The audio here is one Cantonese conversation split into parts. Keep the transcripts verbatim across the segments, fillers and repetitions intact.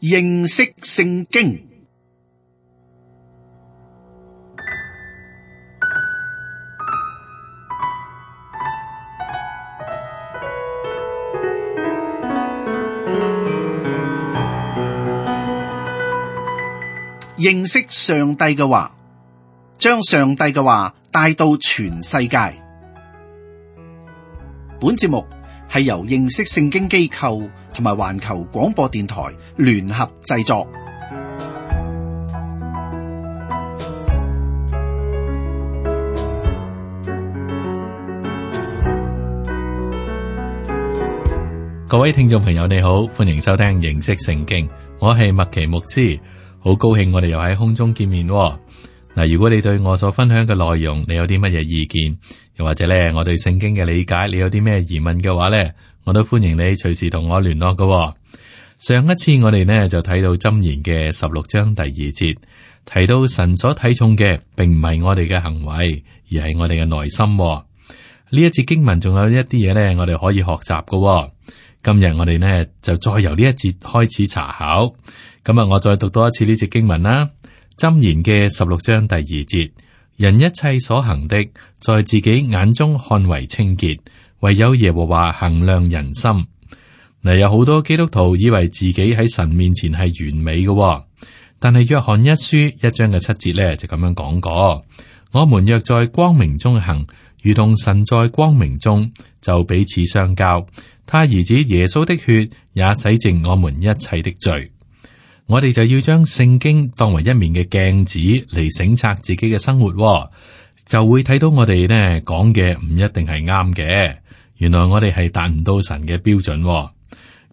認識聖經。認識上帝嘅話，將上帝嘅話帶到全世界。本節目係由認識聖經機構同埋環球廣播電台聯合製作。各位聽眾朋友你好，歡迎收聽認識聖經，我係麥奇牧師，好高興我哋又喺空中見面喎。嗱，如果你對我所分享嘅內容，你有啲乜嘢意見，又或者咧我對聖經嘅理解，你有啲咩疑問嘅話咧，我都歡迎你隨時同我聯絡㗎喎。上一次我哋呢就睇到箴言嘅十六章第二節，提到神所睇重嘅，並唔係我哋嘅行為，而係我哋嘅內心喎。呢一節經文仲有一啲嘢咧，我哋可以學習㗎喎。今日我哋呢就再由呢一節開始查考。咁啊，我再讀多一次呢節經文啦。箴言嘅十六章第二節，人一切所行的，在自己眼中看為清潔，唯有耶和華衡量人心。嗱，有好多基督徒以為自己喺神面前係完美嘅喎，但係約翰一書一章嘅七節咧就咁樣講過：我們若在光明中行，如同神在光明中，就彼此相交。他兒子耶穌的血也洗淨我們一切的罪。我哋就要將聖經當為一面嘅鏡子嚟省察自己嘅生活喎，就會睇到我哋呢講嘅唔一定係啱嘅。原來我哋係達唔到神嘅標準喎，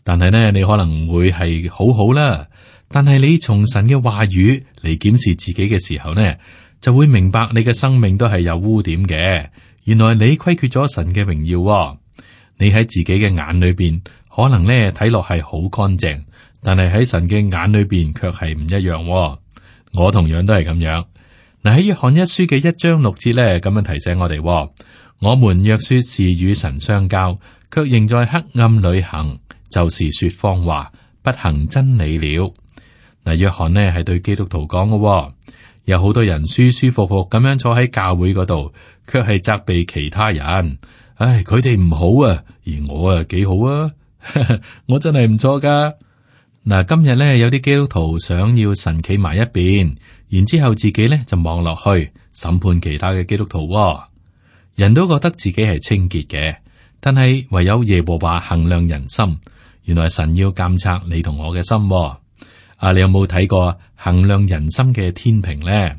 但係呢，你可能會係好好啦。但係你從神嘅話語嚟檢視自己嘅時候呢，就會明白你嘅生命都係有污點嘅。原來你虧缺咗神嘅榮耀喎。你喺自己嘅眼裏邊，可能咧睇落係好乾淨，但係喺神嘅眼裏邊卻係唔一樣喎。我同樣都係咁樣。嗱，喺約翰一書嘅一章六節咧，咁樣提醒我哋喎：我們若說是與神相交，卻仍在黑暗裏行，就是說謊話，不行真理了。嗱，約翰呢係對基督徒講嘅喎。有好多人舒舒服服咁樣坐喺教會嗰度，卻係責備其他人。唉，佢哋唔好啊，而我啊幾好啊，我真係唔錯噶。嗱，今日咧有啲基督徒想要神企埋一邊，然之後自己咧就望落去審判其他嘅基督徒喎。人都覺得自己係清潔嘅，但係唯有耶和華衡量人心。原來神要監察你同我嘅心喎。啊，你有冇睇過衡量人心嘅天平咧？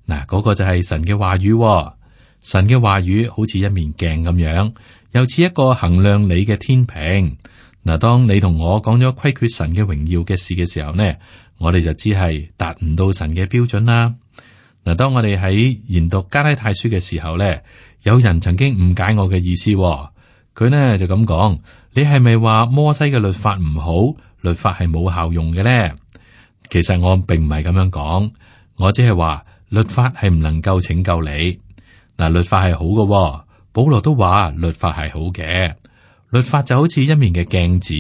嗱，嗰個就係神嘅話語喎。神嘅話語好似一面鏡咁樣，又似一個衡量你嘅天平。嗱，當你同我講咗虧缺神嘅榮耀嘅事嘅時候呢，我哋就知係達唔到神嘅標準啦。嗱，當我哋喺研讀加拉太書嘅時候呢，有人曾經誤解我嘅意思，佢呢就咁講：你係咪話摩西嘅律法唔好，律法係冇效用嘅呢？其實我並唔係咁樣講，我只係話律法係唔能夠拯救你。嗱，律法係好嘅喎，保羅都話律法係好嘅。律法就好似一面嘅鏡子，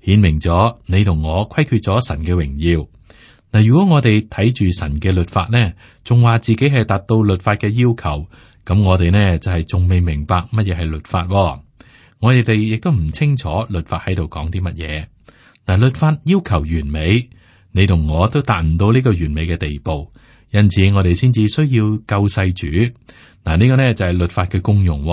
顯明咗你同我虧缺咗神嘅榮耀。嗱，如果我哋睇住神嘅律法呢，仲話自己係達到律法嘅要求，咁我哋呢就係仲未明白乜嘢係律法喎。我哋哋亦都唔清楚律法喺度講啲乜嘢。嗱，律法要求完美，你同我都達唔到呢個完美嘅地步，因此我哋先至需要救世主。嗱，呢個呢就係律法嘅功用，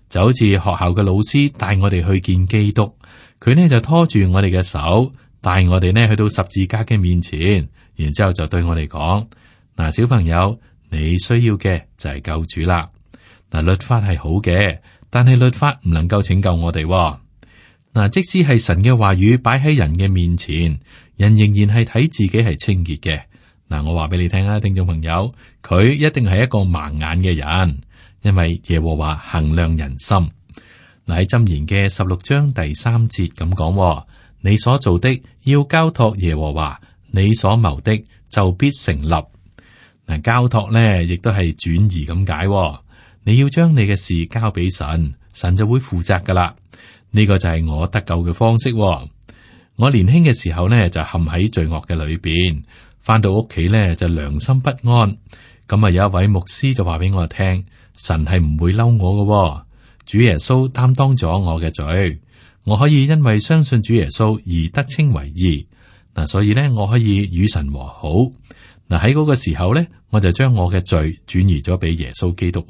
就好似學校嘅老師帶我哋去見基督，佢呢就拖住我哋嘅手，帶我哋呢去到十字架嘅面前，然之後就對我哋講：嗱，小朋友，你需要嘅就係救主啦。嗱，律法係好嘅，但係律法唔能夠拯救我哋。嗱，即使係神嘅話語擺喺人嘅面前，人仍然係睇自己係清潔嘅。嗱，我話俾你聽啊，聽眾朋友，佢一定係一個盲眼嘅人，因為耶和華衡量人心。嗱，喺箴言嘅十六章第三節咁講：你所做的要交託耶和華，你所謀的就必成立。嗱，交託咧亦都係轉移咁解。你要將你嘅事交俾神，神就會負責噶啦。呢個就係我得救嘅方式。我年輕嘅時候呢，就陷喺罪惡嘅裏邊，翻到屋企呢，就良心不安。咁啊，有一位牧師就話俾我聽，神係唔會嬲我嘅，主耶穌擔當咗我嘅罪，我可以因為相信主耶穌而得稱為義。嗱，所以呢，我可以與神和好。嗱，喺嗰個時候呢，我就將我嘅罪轉移咗俾耶穌基督。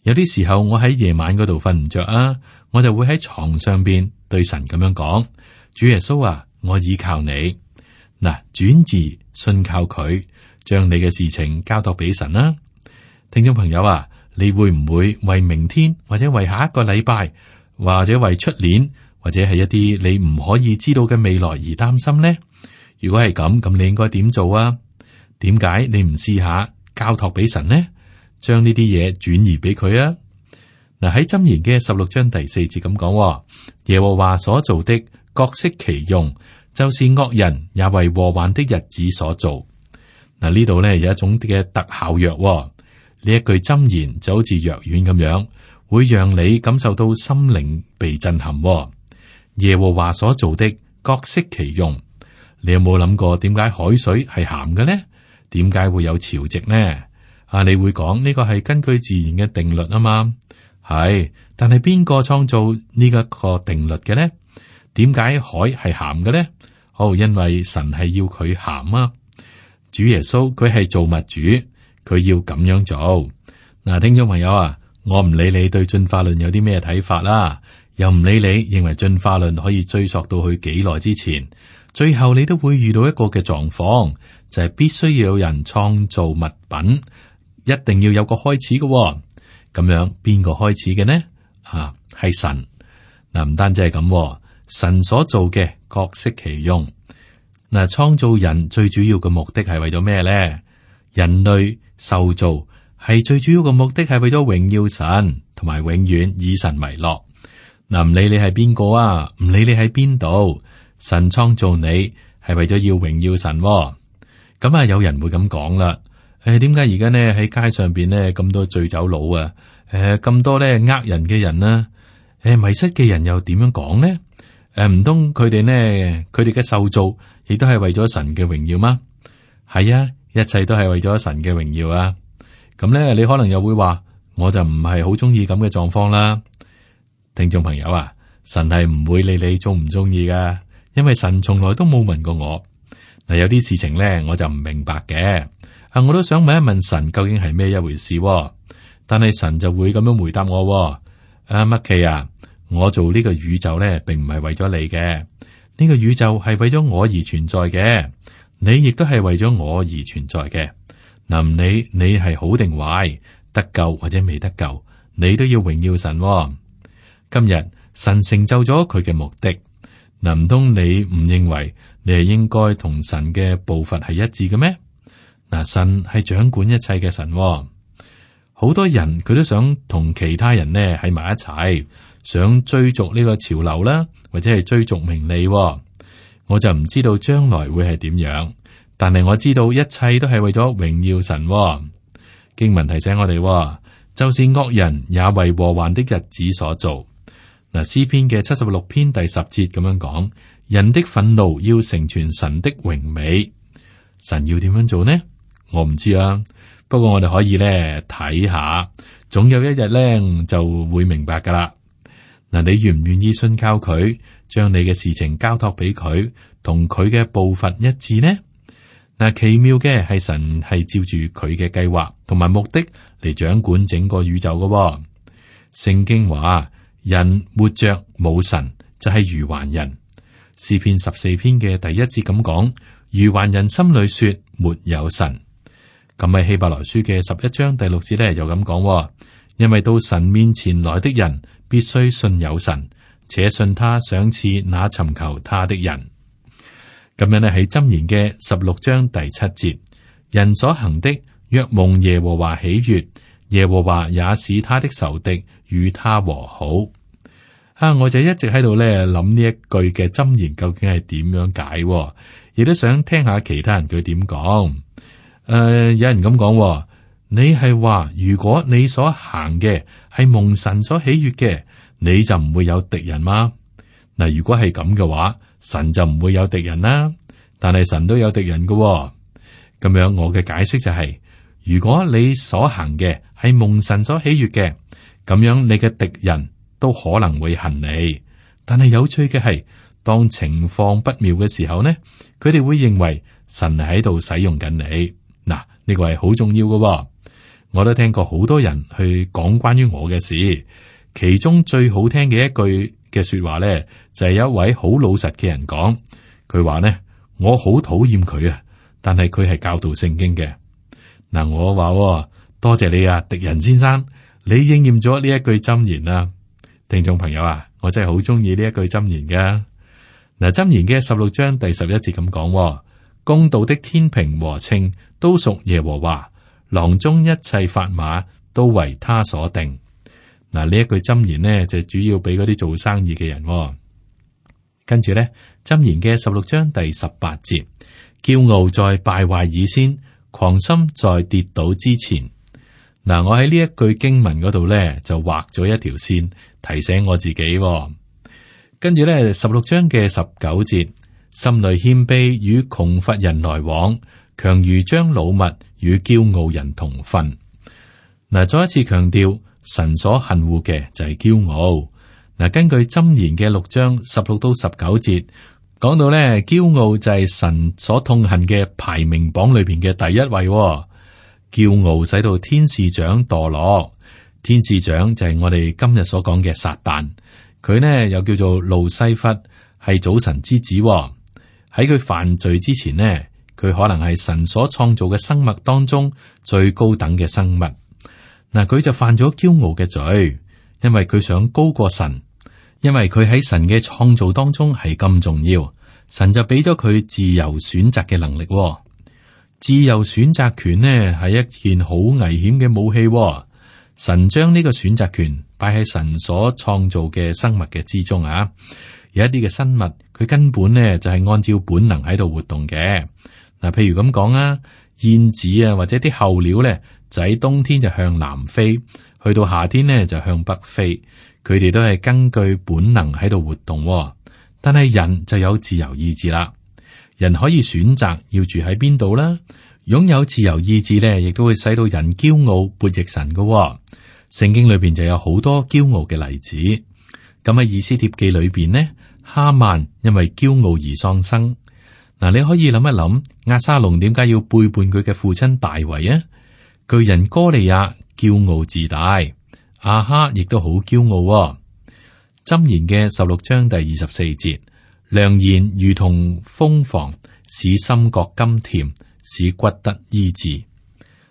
有啲時候我喺夜晚嗰度瞓唔着啊，我就會喺床上邊對神咁樣講：主耶穌啊，我倚靠你。嗱，轉移信靠佢，將你嘅事情交託俾神啦。聽眾朋友啊，你會唔會為明天或者為下一個禮拜，或者為出年，或者係一啲你唔可以知道嘅未來而擔心呢？如果係咁，咁你應該點做啊？點解你唔試下交託俾神呢？將呢啲嘢轉移俾佢啊！嗱，喺箴言嘅十六章第四節咁講：耶和華所做的各適其用，就是惡人也為禍患的日子所做。嗱，呢度咧有一種嘅特效藥，呢一句箴言就好似藥丸咁樣，會讓你感受到心靈被震撼。耶和華所做的各適其用，你有冇諗過點解海水係鹹嘅呢？點解會有潮汐呢？啊，你會講呢個係根據自然嘅定律啊嘛？係，但係邊個創造呢一個定律嘅呢？點解海係鹹嘅呢？哦，因為神係要佢鹹啊！主耶穌佢係造物主，佢要咁樣做。嗱，聽眾朋友啊，我唔理你對進化論有啲咩睇法啦，又唔理你認為進化論可以追溯到去幾耐之前，最後你都會遇到一個嘅狀況，就係必須要有人創造物品。一定要有個開始嘅、哦，咁樣邊個開始嘅呢？啊，係神。嗱，唔單止係咁，神所做嘅各適其用。嗱，創造人最主要嘅目的係為咗咩咧？人類受造係最主要嘅目的係為咗榮耀神，同埋永遠以神為樂。嗱，唔理你係邊個啊，唔理你喺邊度，神創造你係為咗要榮耀神、哦。咁啊，有人會咁講啦。誒，點解而家呢喺街上邊呢咁多醉酒佬啊？誒，咁多咧呃人嘅人啦，誒，迷失嘅人又點樣講呢？誒，唔通佢哋呢？佢哋嘅受造亦都係為咗神嘅榮耀嗎？係啊，一切都係為咗神嘅榮耀啊！咁咧，你可能又會話，我就唔係好中意咁嘅狀況啦。聽眾朋友啊，神係唔會理你中唔中意噶，因為神從來都冇問過我。嗱，有啲事情咧，我就唔明白嘅。啊！我都想問一問神究竟係咩一回事、哦，但係神就會咁樣回答我、哦。阿麥奇啊，我做呢個宇宙咧，並唔係為咗你嘅，呢、這個宇宙係為咗我而存在嘅，你亦都係為咗我而存在嘅。嗱，唔理你係好定壞，得救或者未得救，你都要榮耀神、哦。今日神成就咗佢嘅目的，嗱，唔通你唔認為你係應該同神嘅步伐係一致嘅咩？嗱，神係掌管一切嘅神、哦，好多人佢都想同其他人呢喺埋一齊，想追逐呢個潮流啦，或者係追逐名利、哦。我就唔知道將來會係點樣，但係我知道一切都係為咗榮耀神、哦。經文提醒我哋、哦，就是惡人也為禍患的日子所做。嗱，詩篇嘅七十六篇第十節咁樣講：人的憤怒要成全神的榮美。神要點樣做呢？我唔知啊，不過我哋可以咧睇下，總有一日咧就會明白噶啦。嗱，你願唔願意信靠佢，將你嘅事情交託俾佢，同佢嘅步伐一致呢？嗱，奇妙嘅係神係照住佢嘅計劃同埋目的嚟掌管整個宇宙噶、哦。聖經話：人活着冇神就係愚頑人。詩篇十四篇嘅第一節咁講：愚頑人心裏說沒有神。咁喺希伯來書嘅十一章第六節咧，又咁講，因為到神面前來的人必須信有神，且信他賞賜那尋求他的人。咁樣咧喺箴言嘅十六章第七節，人所行的若蒙耶和華喜悅，耶和華也使他的仇敵與他和好。啊，我就一直喺度咧諗呢一句嘅箴言究竟係點樣解，亦都想聽下其他人佢點講。誒、呃，有人咁講，你係話如果你所行嘅係蒙神所喜悅嘅，你就唔會有敵人嗎？嗱，如果係咁嘅話，神就唔會有敵人啦。但係神都有敵人嘅喎。咁樣我嘅解釋就係、是，如果你所行嘅係蒙神所喜悅嘅，咁樣你嘅敵人都可能會恨你。但係有趣嘅係，當情況不妙嘅時候呢，佢哋會認為神係喺度使用緊你。嗱，呢個係好重要嘅喎。我都聽過好多人去講關於我嘅事，其中最好聽嘅一句嘅說話咧，就係、是、有一位好老實嘅人講，佢話呢：「我好討厭佢啊，但係佢係教導聖經嘅。」嗱，我話多謝你啊，敵人先生，你應驗咗呢一句箴言啊。聽眾朋友啊，我真係好中意呢一句箴言噶。嗱，箴言嘅十六章第十一節咁講：公道的天平和秤都屬耶和華，囊中一切法碼都為他所定。嗱，呢一句箴言呢，就主要俾嗰啲做生意嘅人。跟住咧，箴言嘅十六章第十八節：驕傲在敗壞以先，狂心在跌倒之前。嗱，我喺呢一句經文嗰度咧，就畫咗一條線，提醒我自己。跟住咧，十六章嘅十九節：心裏謙卑與窮乏人來往，強如將擄物與驕傲人同分。嗱，再一次強調，神所恨惡嘅就係驕傲。嗱，根據箴言嘅六章十六到十九節講到咧，驕傲就係神所痛恨嘅排名榜裏邊嘅第一位。驕傲使到天使長墮落，天使長就係我哋今日所講嘅撒旦，佢呢又叫做路西弗，係早晨之子。喺佢犯罪之前呢，佢可能係神所創造嘅生物當中最高等嘅生物。嗱，佢就犯咗驕傲嘅罪，因為佢想高過神，因為佢喺神嘅創造當中係咁重要，神就俾咗佢自由選擇嘅能力。自由選擇權呢係一件好危險嘅武器。神將呢個選擇權擺喺神所創造嘅生物嘅之中啊。有一啲嘅生物，佢根本呢就係按照本能喺度活動嘅。嗱，譬如咁講啊，燕子啊或者啲候鳥咧，就喺冬天就向南飛，去到夏天呢就向北飛。佢哋都係根據本能喺度活動。但係人就有自由意志啦。人可以選擇要住喺邊度啦，擁有自由意志咧，亦都會使到人驕傲悖逆神嘅、哦。聖經裏邊就有好多驕傲嘅例子。咁喺以斯帖記裏邊呢，哈曼因為驕傲而喪生。嗱，你可以諗一諗，押沙龍點解要背叛佢嘅父親大衛啊？巨人哥利亞驕傲自大，亞哈亦都好驕傲、哦。箴言嘅十六章第二十四節。良言如同蜂房，使心覺甘甜，使骨得醫治。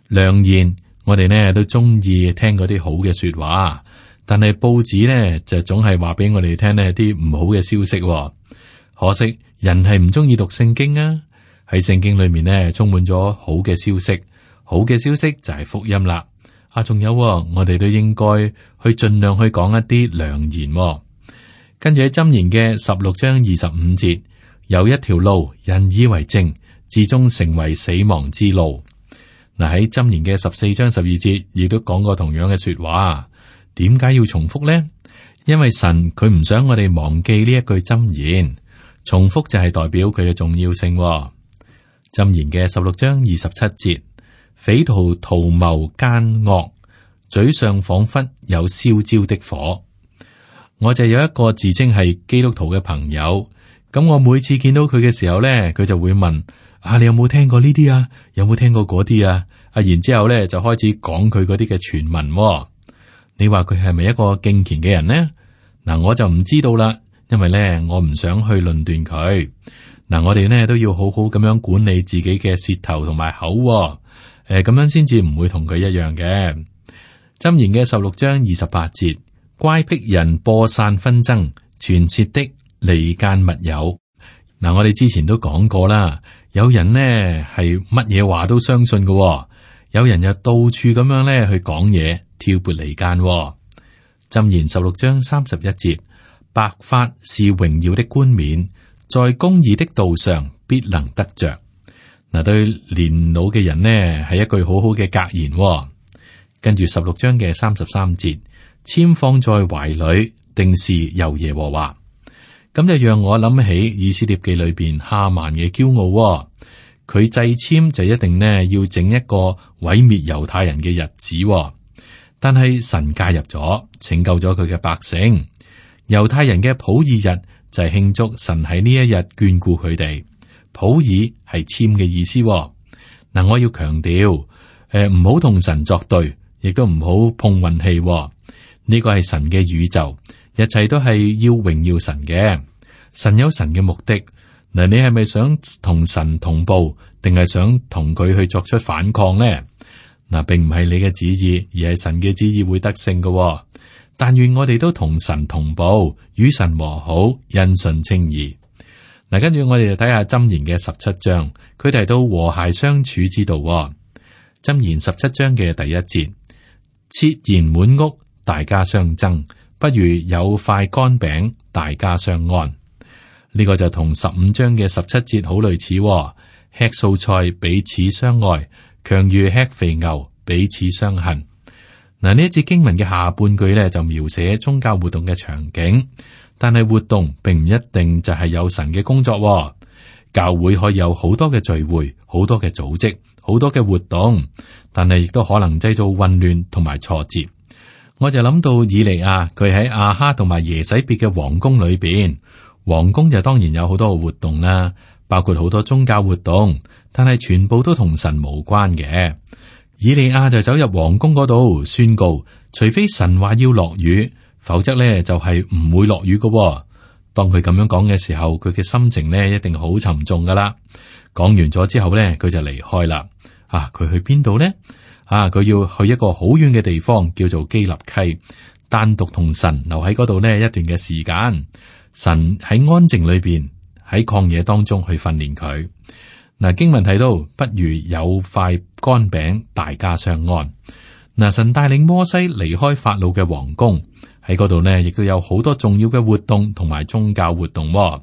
良言，我哋呢都中意聽嗰啲好嘅說話，但係報紙呢就總係話俾我哋聽呢啲唔好嘅消息、哦。可惜人係唔中意讀聖經啊！喺聖經裏面呢充滿咗好嘅消息，好嘅消息就係福音啦。啊，仲有、哦、我哋都應該去盡量去講一啲良言、哦。跟住喺箴言嘅十六章二十五節，有一條路人以為正，至終成為死亡之路。嗱，喺箴言嘅十四章十二節，亦都講過同樣嘅說話。點解要重複呢？因為神佢唔想我哋忘記呢一句箴言，重複就係代表佢嘅重要性。箴言嘅十六章二十七節，匪徒圖謀奸惡，嘴上仿佛有燒焦的火。我就有一個自稱係基督徒嘅朋友，咁我每次見到佢嘅時候咧，佢就會問：啊，你有冇聽過呢啲啊？有冇聽過嗰啲啊？啊，然之後咧就開始講佢嗰啲嘅傳聞。你話佢係咪一個敬虔嘅人呢？嗱，我就唔知道啦，因為咧我唔想去論斷佢。嗱，我哋呢都要好好咁樣管理自己嘅舌頭同埋口，誒，咁樣先至唔會同佢一樣嘅。箴言嘅十六章二十八節。乖僻人播散紛爭，傳舌的離間密友。嗱，我哋之前都講過啦，有人呢係乜嘢話都相信嘅、哦，有人又到處咁樣咧去講嘢，挑撥離間、哦。箴言十六章三十一節，白髮是榮耀的冠冕，在公義的道上必能得着。嗱，對年老嘅人呢係一句好好嘅格言、哦。跟住十六章嘅三十三節。籤放在懷裏，定是由耶和華。咁就讓我諗起以斯帖記裏邊哈曼嘅驕傲，佢掣籤就一定呢要整一個毀滅猶太人嘅日子，但係神介入咗，拯救咗佢嘅百姓。猶太人嘅普爾日就係慶祝神喺呢一日眷顧佢哋。普爾係籤嘅意思。嗱，我要強調，誒唔好同神作對，亦都唔好碰運氣。呢個係神嘅宇宙，一切都係要榮耀神嘅。神有神嘅目的。嗱，你係咪想同神同步，定係想同佢去作出反抗呢？嗱，並唔係你嘅旨意，而係神嘅旨意會得勝嘅。但願我哋都同神同步，與神和好，因信稱義。嗱，跟住我哋就睇下箴言嘅十七章，佢提到和諧相處之道。箴言十七章嘅第一節，設筵滿屋，大家相爭，不如有塊乾餅，大家相安。呢個就同十五章嘅十七節好類似。吃素菜彼此相愛，強如吃肥牛彼此相恨。嗱，呢一節經文嘅下半句咧就描寫宗教活動嘅場景，但係活動並唔一定就係有神嘅工作。教會可以有好多嘅聚會，好多嘅組織，好多嘅活動，但係亦都可能製造混亂同埋挫折。我就諗到以利亞，佢喺亞哈同埋耶洗別嘅皇宮裏邊，皇宮就當然有好多嘅活動啦，包括好多宗教活動，但係全部都同神無關嘅。以利亞就走入皇宮嗰度宣告，除非神話要落雨，否則咧就係唔會落雨㗎。當佢咁樣講嘅時候，佢嘅心情咧一定好沉重噶啦。講完咗之後咧，佢就離開啦。啊，佢去邊度呢？啊，佢要去一個好遠嘅地方，叫做基立溪，單獨同神留喺嗰度呢一段嘅時間。神喺安靜裏邊，喺曠野當中去訓練佢。嗱，經文提到，不如有塊乾餅，大家相安。嗱，神帶領摩西離開法老嘅皇宮，喺嗰度呢，亦都有好多重要嘅活動同埋宗教活動。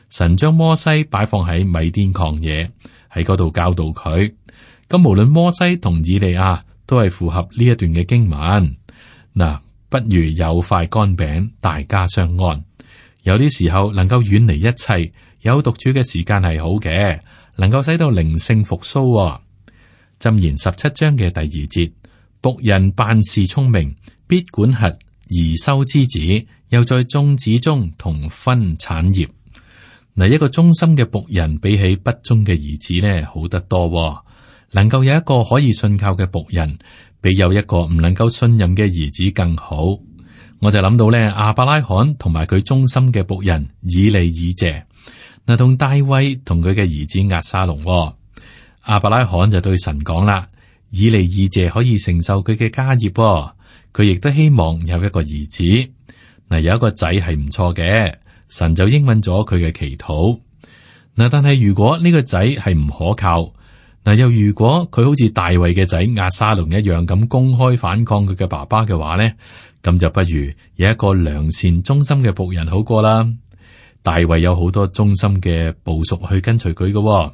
神將摩西擺放喺米甸曠野，喺嗰度教導佢。咁無論摩西同以利亞都係符合呢一段嘅經文。嗱，不如有塊乾餅，大家相安。有啲時候能夠遠離一切，有獨處嘅時間係好嘅。能夠使到靈性復甦。箴言十七章嘅第二節，僕人辦事聰明，必管轄貽羞之子，又在眾子中同分產業。嗱，一個忠心嘅僕人比起不忠嘅兒子呢，好得多。能夠有一個可以信靠嘅僕人，比有一個唔能夠信任嘅兒子更好。我就諗到呢，亞伯拉罕同埋佢忠心嘅僕人以利以謝。嗱，同大衛同佢嘅兒子押沙龍，亞伯拉罕就對神講啦，以利以謝可以承受佢嘅家業，佢亦都希望有一個兒子。嗱，有一個仔係唔錯嘅，神就應允咗佢嘅祈禱。嗱，但係如果呢個仔係唔可靠，嗱，又如果佢好似大衛嘅仔押沙龍一樣咁公開反抗佢嘅爸爸嘅話呢，咁就不如有一個良善忠心嘅僕人好過啦。大衛有好多忠心嘅部屬去跟隨佢嘅。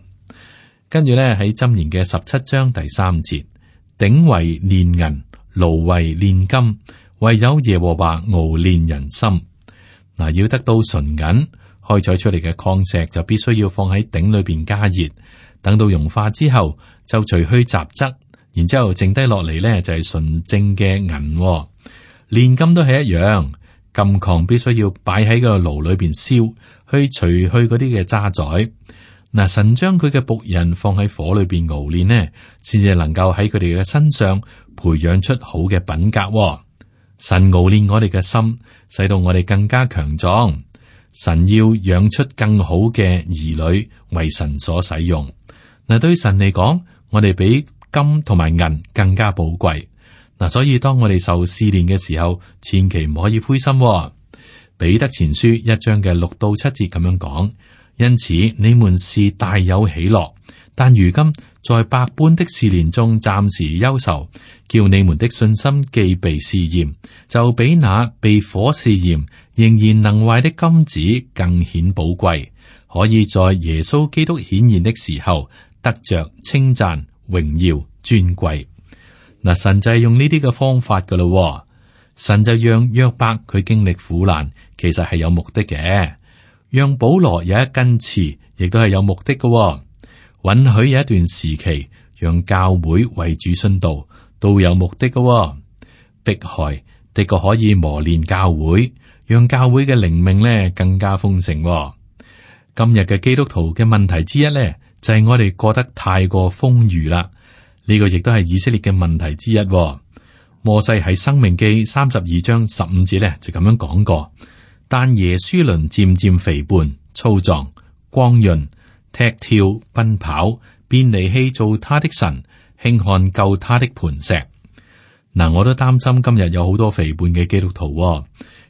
跟住咧喺箴言嘅十七章第三節，鼎為煉銀，爐為煉金，唯有耶和華熬煉人心。嗱，要得到純銀，開採出嚟嘅礦石就必須要放喺鼎裏邊加熱，等到融化之後就除去雜質，然之後剩低落嚟咧就係純正嘅銀。煉金都係一樣。金礦必須要擺喺個爐裏邊燒，去除去嗰啲嘅渣滓。嗱，神將佢嘅僕人放喺火裏邊熬煉呢，先至能夠喺佢哋嘅身上培養出好嘅品格。神熬煉我哋嘅心，使到我哋更加強壯。神要養出更好嘅兒女，為神所使用。嗱，對神嚟講，我哋比金同埋銀更加寶貴。嗱，所以當我哋受試煉嘅時候，千祈唔可以灰心。彼得前書一章嘅六到七節咁樣講，因此你們是大有喜樂，但如今在百般的試煉中暫時憂愁，叫你們的信心既被試驗，就比那被火試驗仍然能壞的金子更顯寶貴，可以在耶穌基督顯現的時候得着稱讚、榮耀、尊貴。嗱，神就係用呢啲嘅方法噶咯，神就讓約伯佢經歷苦難，其實係有目的嘅。讓保羅有一根刺，亦都係有目的嘅。允許有一段時期，讓教會為主殉道，都有目的嘅。迫害的確可以磨練教會，讓教會嘅靈命咧更加豐盛。今日嘅基督徒嘅問題之一咧，就係我哋過得太過豐裕啦。呢個亦都係以色列嘅問題之一。摩西喺申命記三十二章十五節咧就咁樣講過，但耶書崙漸漸肥胖、粗壯、光潤、踢跳、奔跑，便離棄做他的神，輕看救他的磐石。嗱，我都擔心今日有好多肥胖嘅基督徒，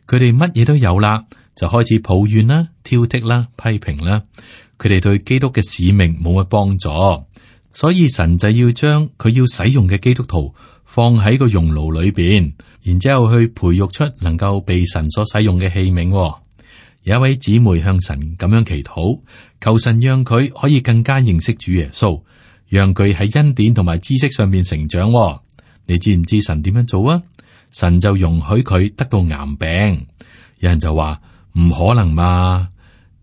佢哋乜嘢都有啦，就開始抱怨啦、挑剔啦、批評啦，佢哋對基督嘅使命冇乜幫助，所以神就要將佢要使用嘅基督徒放喺個熔爐裏邊，然之後去培育出能夠被神所使用嘅器皿。有一位姊妹向神咁樣祈禱，求神讓佢可以更加認識主耶穌，讓佢喺恩典同埋知識上面成長。你知唔知神點樣做啊？神就容許佢得到癌病。有人就話唔可能嘛，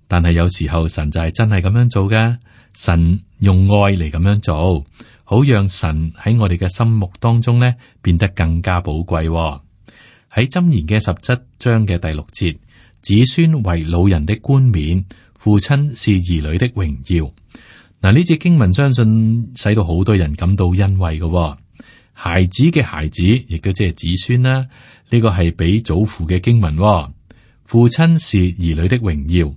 但係有時候神就係真係咁樣做嘅。神用愛嚟咁樣做，好讓神喺我哋嘅心目當中咧變得更加寶貴。喺箴言嘅十七章嘅第六節，子孫為老人的冠冕，父親是兒女的榮耀。嗱，呢節經文相信使到好多人感到欣慰嘅。孩子嘅孩子，亦都即係子孫啦。呢個係俾祖父嘅經文。父親是兒女的榮耀，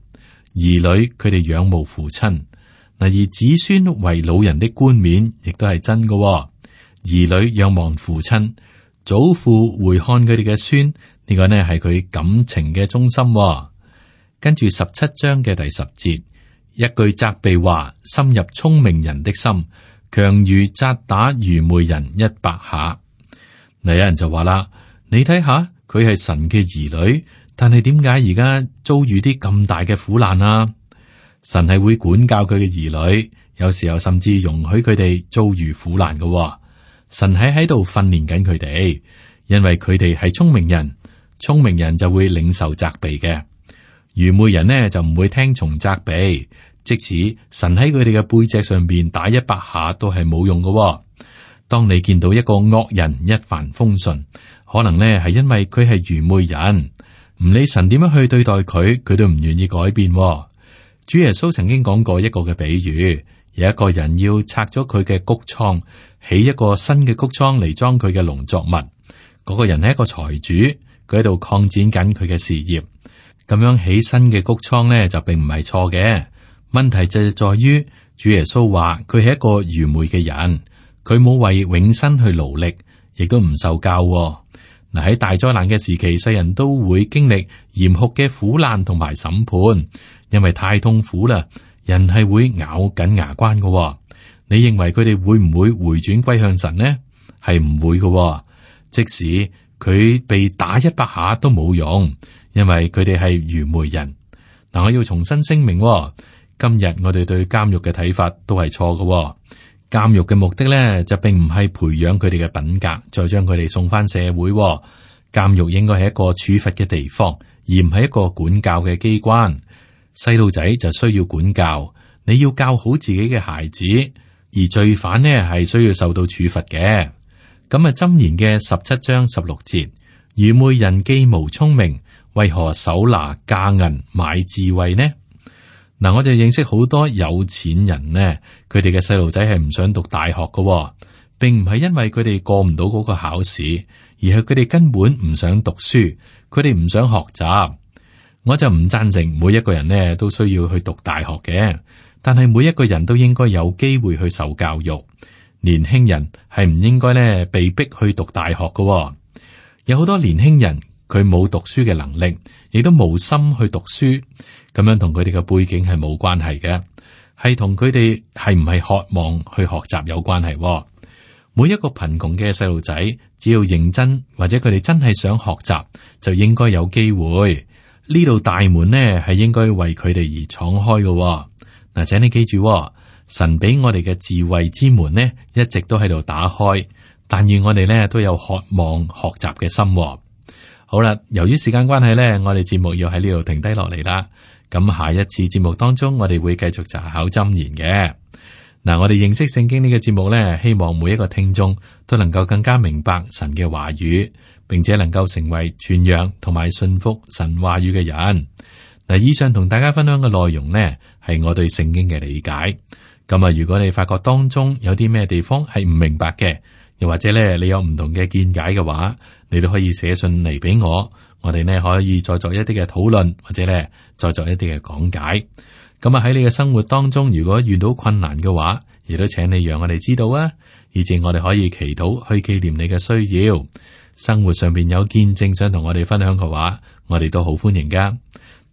兒女佢哋仰慕父親。嗱，而子孫為老人的冠冕，亦都係真嘅。兒女仰望父親，祖父回看佢哋嘅孫，呢個呢係佢感情嘅中心。跟住十七章嘅第十節，一句責備話，深入聰明人的心，強如責打愚昧人一百下。嗱，有人就話啦，你睇下佢係神嘅兒女，但係點解而家遭遇啲咁大嘅苦難啊？神係會管教佢嘅兒女，有時候甚至容許佢哋遭遇苦難嘅。神喺喺度訓練緊佢哋，因為佢哋係聰明人，聰明人就會領受責備嘅，愚昧人呢就唔會聽從責備。即使神喺佢哋嘅背脊上邊打一百下都係冇用嘅。當你見到一個惡人一帆風順，可能呢係因為佢係愚昧人，唔理神點樣去對待佢，佢都唔願意改變。主耶穌曾經講過一個嘅比喻，有一個人要拆咗佢嘅穀倉，起一個新嘅穀倉嚟裝佢嘅農作物。嗰個人係一個財主，佢喺度擴展緊佢嘅事業。咁樣起新嘅穀倉呢，就並唔係錯嘅。問題就係在於，主耶穌話佢係一個愚昧嘅人，佢冇為永生去勞力，亦都唔受教。嗱，喺大災難嘅時期，世人都會經歷嚴酷嘅苦難同埋審判，因為太痛苦啦，人係會咬緊牙關嘅。你認為佢哋會唔會回轉歸向神呢？係唔會嘅。即使佢被打一百下都冇用，因為佢哋係愚昧人。嗱，我要重新聲明。今日我哋對監獄嘅睇法都係錯嘅。監獄嘅目的咧，就並唔係培養佢哋嘅品格，再將佢哋送翻社會。監獄應該係一個處罰嘅地方，而唔係一個管教嘅機關。細路仔就需要管教，你要教好自己嘅孩子，而罪犯呢係需要受到處罰嘅。咁啊，箴言嘅十七章十六節，愚昧人既無聰明，為何手拿價銀買智慧呢？嗱，我就認識好多有錢人呢，佢哋嘅細路仔係唔想讀大學嘅，並唔係因為佢哋過唔到嗰個考試，而係佢哋根本唔想讀書，佢哋唔想學習。我就唔贊成每一個人呢都需要去讀大學嘅，但係每一個人都應該有機會去受教育。年輕人係唔應該呢被逼去讀大學嘅。有好多年輕人佢冇讀書嘅能力，亦都冇心去讀書。咁樣同佢哋嘅背景係冇關係嘅，係同佢哋係唔係渴望去學習有關係。每一個貧窮嘅細路仔，只要認真或者佢哋真係想學習，就應該有機會。呢度大門呢係應該為佢哋而敞開嘅。嗱，請你記住，神俾我哋嘅智慧之門呢，一直都喺度打開，但願我哋呢都有渴望學習嘅心。好啦，由於時間關係呢，我哋節目要喺呢度停低落嚟啦。咁下一次節目當中，我哋會繼續查考箴言嘅。嗱，我哋認識聖經呢個節目呢，希望每一個聽眾都能夠更加明白神嘅話語，並且能夠成為傳揚同埋信服神話語嘅人。嗱，以上同大家分享嘅內容呢，係我對聖經嘅理解。咁啊，如果你發覺當中有啲咩地方係唔明白嘅，又或者咧你有唔同嘅見解嘅話，你都可以寫信嚟俾我，我哋呢可以再作一啲嘅討論，或者咧再作一啲嘅講解。咁啊，喺你嘅生活當中，如果遇到困難嘅話，亦都請你讓我哋知道啊，以至我哋可以祈禱去紀念你嘅需要。生活上邊有見證想同我哋分享嘅話，我哋都好歡迎噶。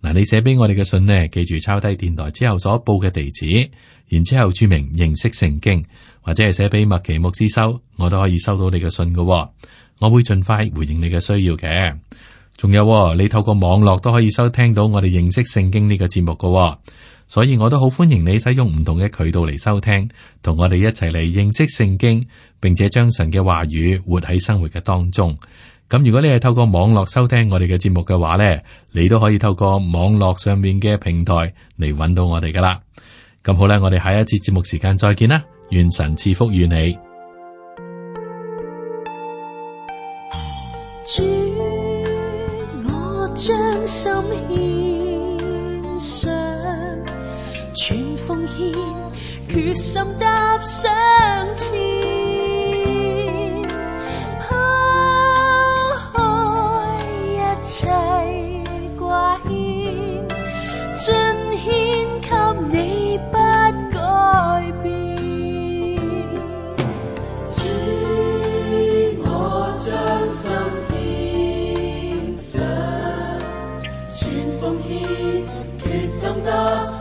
嗱，你寫俾我哋嘅信呢，記住抄低電台之後所報嘅地址，然之後注明認識聖經，或者係寫俾麥奇牧師收，我都可以收到你嘅信噶。我會盡快回應你嘅需要嘅。仲有，你透過網絡都可以收聽到我哋認識聖經呢個節目噶。所以我都好歡迎你使用唔同嘅渠道嚟收聽，同我哋一齊嚟認識聖經，並且將神嘅話語活喺生活嘅當中。咁如果你係透過網絡收聽我哋嘅節目嘅話呢，你都可以透過網絡上面嘅平台嚟揾到我哋噶啦。咁好啦，我哋下一次節目時間再見啦，願神賜福與你。主，我將心獻上，全奉獻，決心踏上前，拋開一切掛牽，盡獻給你不改變。主，我將心獻上，全奉獻，決心踏上